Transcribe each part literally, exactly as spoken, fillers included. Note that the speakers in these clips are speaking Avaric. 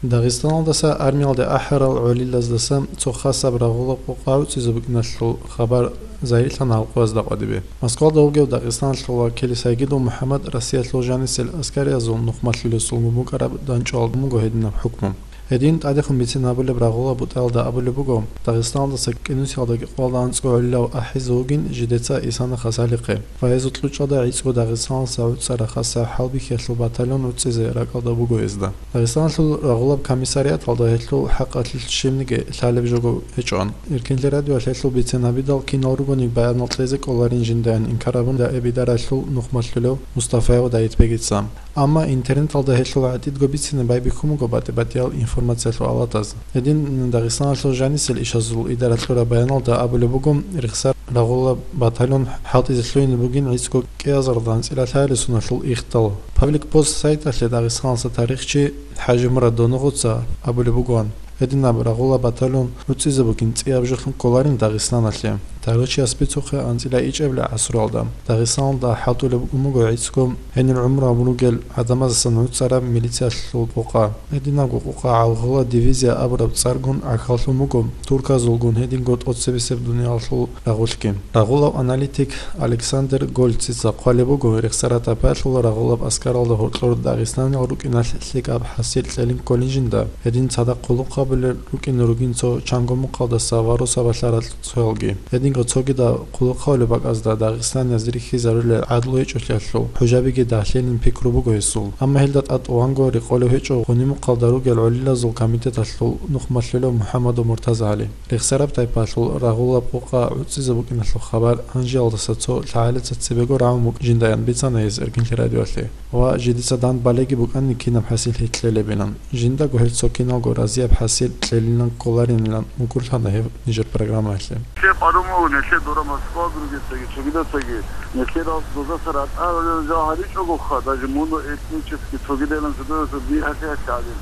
Дагъистаналдаса армиялде ахӀарал гӀолилаздаса цо хасаб рагъулаб къокъа гӀуцӀизе букӀиналъул хабар загьирлъана халкъазда къватӀибе. Москвалда вугев Дагъистаналъул вакил Сайгидов МухӀаммад Россиялъул жанисел аскариязул нухмалъулесулгун букӀараб данчӀвал буго гьединаб хӀукму. Гьедин тӀадехун бицин гьабулеб рагъулаб бутӀаялда абулеб буго, Дагъистаналдаса кӀинусиялда кӀикъоялда анцӀго гӀолилав ахӀизе вугин жидеца Исана хасалихъе. Ва гьезул кьучӀалда гӀицӀго Дагъистаналдаса гӀуцӀараб хасаб хӀалбихьиялъул батальон гӀуцӀизе ракӀалда буго гьезда. Дагъистаналъул рагъулаб комиссариаталда гьелъул хӀакъалъулъ щибниги лъалеб жого гьечӀоан. Эркинлъи радиоялъ гьелъул бицен гьабидал, кинал ругони баянал кьезе кколарин жиндаан инкарабун, даимбидаралъул нухмалъулев Мустафаев Дайитбегица. Амма интернеталда гьелъул гӀатӀидго бицине байбихьун буго батӀи-батӀиял информациялъул алатаз. Гьедин Дагъистаналъул жанисел ишазул идара кьураб баяналда абулеб буго, рехсараб рагъулаб батальон хӀалтӀизе лъугьине бугин гӀицӀго кӀиазарда анцӀила лъабилеб соналъул ихдал. Паблик Пост сайталъе Дагъистаналдаса тарихчи ХӀажимурад Донугъоца абулеб бугоан, гьединаб рагъулаб батальон гӀуцӀизе бугин цӀияб жолъун кколарин Дагъистаналъе. Тарихчияс бицухъе анцӀила ичӀабилеб гӀасруялда Дагъистаналда хӀалтӀулеб букӀун буго гӀицӀго гьенир гӀумру гьабун ругел гӀадамаздасан гӀуцӀараб милициялъул къокъа. Гьединабго къокъа гӀалгъула дивизия абураб цӀаргун гӀахьаллъун буго турказулгун гьединго тӀоцебесеб дуниялалъул рагъулъги. Рагъулав аналитик Александр Гольцица хъвалеб буго, рехсараб тайпаялъул рагъулаб аскаралда гьоркьор дагъистаниял рукӀиналъ лъикӀаб хӀасил кьелин кколин жинда, гьедин цадахъ хъулухъ гьабулел рукӀине ругин цо чанго мухъалдаса ва росабалъа ракьцоялги. Гьединго цогидаб хъулухъ гьабулеб бакӀазда дагъистанияз рихьизарулел гӀадлу гьечӀолъиялъул хӀужабиги дагьлъилин пикру буго гьесул. Амма гьелда тӀатӀуванго рекъолев гьечӀо гъуниб мухъалда ругел гӀолилазул комитеталъул нухмалъулев МухӀаммадов МуртазагӀали. Рехсараб тайпаялъул рагъулаб къокъа гӀуцӀизе букӀиналъул хабар гьанжеялдаса цо лъагӀалица цебего рагӀун букӀин жинда ян бицана гьес Эркинлъи радиоялъе. Ва жидеца дандбалеги букӀанин кинаб хӀасил кьелебилан. Жиндаго гьел цо киналго разияб хӀасил кьелилан кколаринилан мукӀурлъана гьев нижер программаялъе. Нилъер къварумал, нилъер дора Москва другецаги, цогидацаги, нилъер дозаса ратӀа жо гьаричӀогоха, даже муно этнически цогидайилан жидеца би гьалъи-гьалъи гьабин.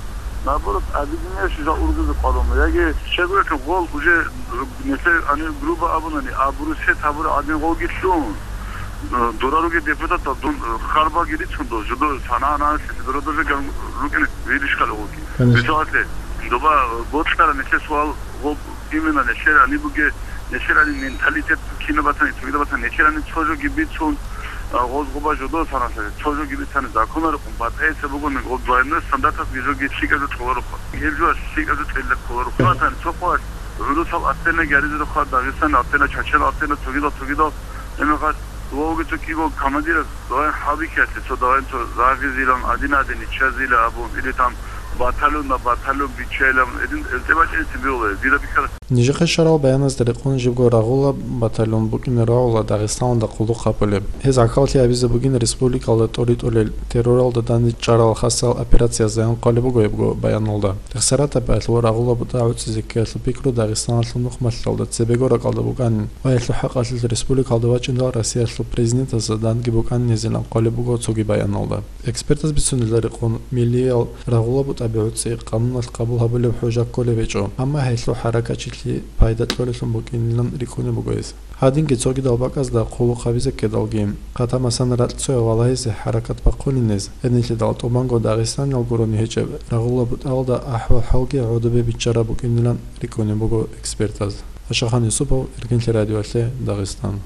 Наоборот, объединяющий жал ургузе къварумал. Яги щегоялъул гъол уже нилъер гьанив грубо абунани, абуру сет гьабураб гӀадин гъолги лъун. Дора ругел депутатал дун харбаги рицун дол, жидо санагӀананалъе дора даже ган рукӀине виришкал гъолги. Конечно. Мисалалъе, доба боцӀара нилъер суал гъол именно нилъер гьаниб бугеб, нилъер гьаниб менталитет кинаб батани, цогидаб батани, нилъер гьаниб цо жоги бицун, а, гъоз гъоба жодо саналъе, цо жоги бицани законалъухъун батӀаица бугони, гъоз двойной стандарталъ гьезоги лъикӀаб жо кьолароха. Гьеб жоялъ лъикӀаб жо кьелда кколароха. Батани цо къоялъ гӀурусал аттена гьаризероха, Дагъистан аттена, Чечен аттена, цогидал, цогидал. Гьебмехалъ, вавги цо кӀиго командирас давай хӀалбихьиялъе, цо давай цо загъизилан, адин-адин иччазила абун, или там батальон на батальон биччайилан, гьедин, гьелде бачӀинецин бегьула, дида бихьарас. Нижехъе щварал баяназда рекъон жибго рагъулаб батальон букӀине рагӀула Дагъистаналда хъулухъ гьабулеб. Гьез гӀахьаллъи гьабизе бугин республикалда тӀоритӀулел терроралда данде чӀарал хасал операциязда ян хъвалеб буго гьебго баяналда. Рехсараб тайпаялъул рагъулаб бутӀа гӀуцӀизе ккеялъул пикру Дагъистаналъул нухмалъалда цебего ракӀалда букӀанин ва гьелъул хӀакъалъулъ республикалда вачӀиндал Россиялъул президентасда данде букӀанин гьезилан хъвалеб буго цоги баяналда. Экспертаз бицунелда рекъон, миллиял рагъулаб бутӀаби гӀуцӀи къануналъ къабул гьабулеб хӀужа кколеб гьечӀо, амма гьелъул хӀаракатчилъи пайда кьолелъун букӀинилан рикӀкӀунеб буго гьез. Гьадинги цогидал бакӀазда хъулухъ гьабизеккедалги, хъатамасан ракьцояв валагьизе хӀаракат бахъунин гьез, гьединлъидал тӀубанго дагъистаниял гурони гьечӀеб рагъулаб бутӀаялда ахӀвал-хӀалги гӀодобе биччараб букӀинилан рикӀкӀунеб буго экспертаз. Ашахан Юсупов, Эркинлъи радиоялъе, Дагъистан.